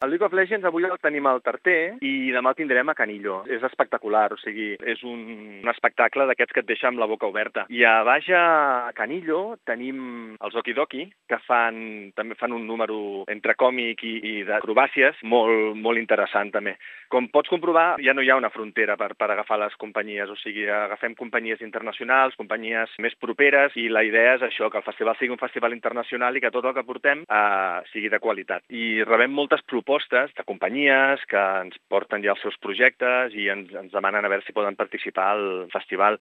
El League of Legends avui el tenim al Tarter i demà el tindrem a Canillo. És espectacular, o sigui, és un espectacle d'aquests que et deixa amb la boca oberta. I a baix a Canillo tenim els Okidoki, que també fan un número entre còmic i d'acrobàcies molt interessant també. Com pots comprovar, ja no hi ha una frontera per agafar les companyies, o sigui, agafem companyies internacionals, companyies més properes, i la idea és això, que el festival sigui un festival internacional i que tot el que portem sigui de qualitat. I rebem moltes propostes de companyies que ens porten ja els seus projectes i ens demanen a veure si poden participar al festival.